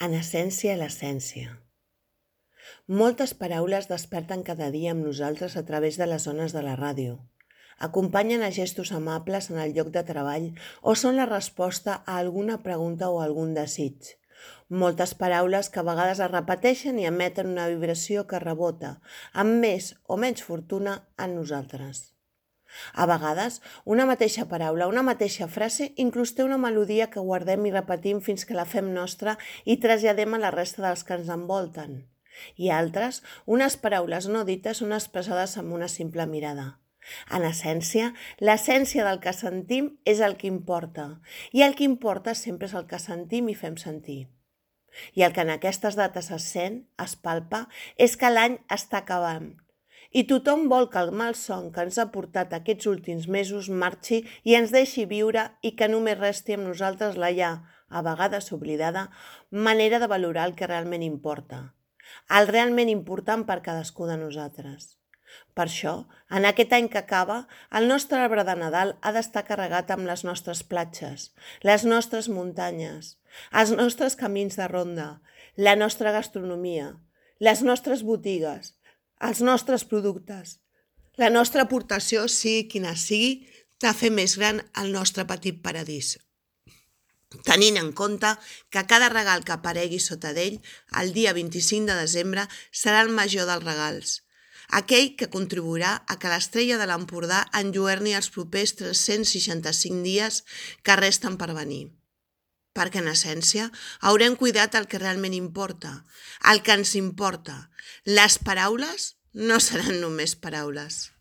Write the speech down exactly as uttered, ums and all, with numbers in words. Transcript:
En essència, l'essència. Moltes paraules desperten cada dia amb nosaltres a través de les ones de la ràdio. Acompanyen a gestos amables en el lloc de treball o són la resposta a alguna pregunta o algun desig. Moltes paraules que a vegades es repeteixen i emeten una vibració que rebota, amb més o menys fortuna, en nosaltres. A vegades, una mateixa paraula, una mateixa frase, inclús té una melodia que guardem i repetim fins que la fem nostra i traslladem a la resta dels que ens envolten. I altres, unes paraules no dites són expressades amb una simple mirada. En essència, l'essència del que sentim és el que importa, i el que importa sempre és el que sentim i fem sentir. I el que en aquestes dates es sent, es palpa, és que l'any està acabant. I tothom vol que el malson que ens ha portat aquests últims mesos marxi i ens deixi viure i que només resti amb nosaltres la ja, a vegades oblidada, manera de valorar el que realment importa. El realment important per cadascú de nosaltres. Per això, en aquest any que acaba, el nostre arbre de Nadal ha d'estar carregat amb les nostres platges, les nostres muntanyes, els nostres camins de ronda, la nostra gastronomia, les nostres botigues, els nostres productes. La nostra aportació, sigui quina sigui, de fer més gran el nostre petit paradís. Tenint en compte que cada regal que aparegui sota d'ell, el dia vint-i-cinc de desembre, serà el major dels regals. Aquell que contribuirà a que l'estrella de l'Empordà enlluerni els propers tres-cents seixanta-cinc dies que resten per venir. Perquè, en essència, haurem cuidat el que realment importa, el que ens importa. Les paraules no seran només paraules.